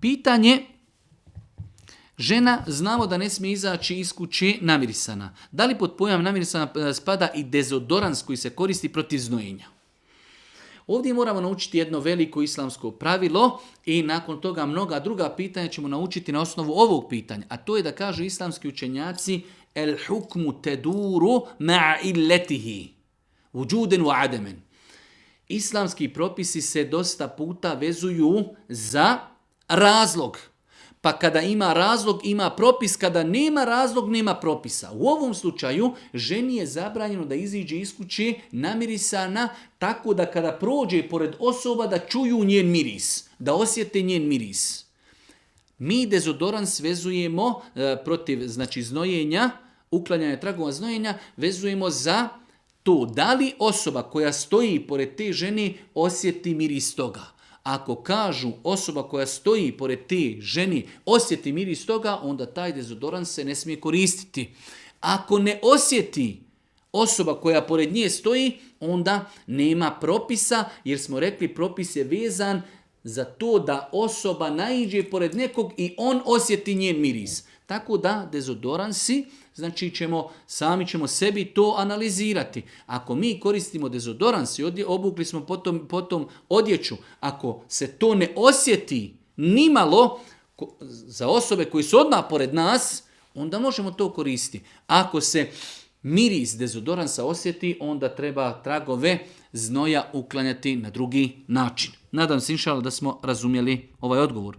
Pitanje, žena znamo da ne smije izaći iz kuće namirisana. Da li pod pojam namirisana spada i dezodorans koji se koristi protiv znojenja? Ovdje moramo naučiti jedno veliko islamsko pravilo i nakon toga mnoga druga pitanja ćemo naučiti na osnovu ovog pitanja. A to je da kažu islamski učenjaci el hukmu teduru ma'a illetihi. Vujuden wa ademen. Islamski propisi se dosta puta vezuju za razlog. Pa kada ima razlog, ima propis. Kada nema razlog, nema propisa. U ovom slučaju, ženi je zabranjeno da iziđe iz kuće namirisana tako da kada prođe pored osoba da čuju njen miris, da osjete njen miris. Mi dezodorans vezujemo protiv znojenja, uklanjanja tragova znojenja, vezujemo za to da li osoba koja stoji pored te žene osjeti miris toga. Ako kažu osoba koja stoji pored te ženi osjeti miris toga, onda taj dezodorans se ne smije koristiti. Ako ne osjeti osoba koja pored nje stoji, onda nema propisa, jer smo rekli propis je vezan za to da osoba naiđe pored nekog i on osjeti njen miris. Tako da dezodoransi, znači sami ćemo sebi to analizirati. Ako mi koristimo dezodorans i obukli smo potom odjeću, ako se to ne osjeti nimalo za osobe koji su odmah pored nas, onda možemo to koristiti. Ako se miris dezodoransa osjeti, onda treba tragove znoja uklanjati na drugi način. Nadam se, inšallah, da smo razumjeli ovaj odgovor.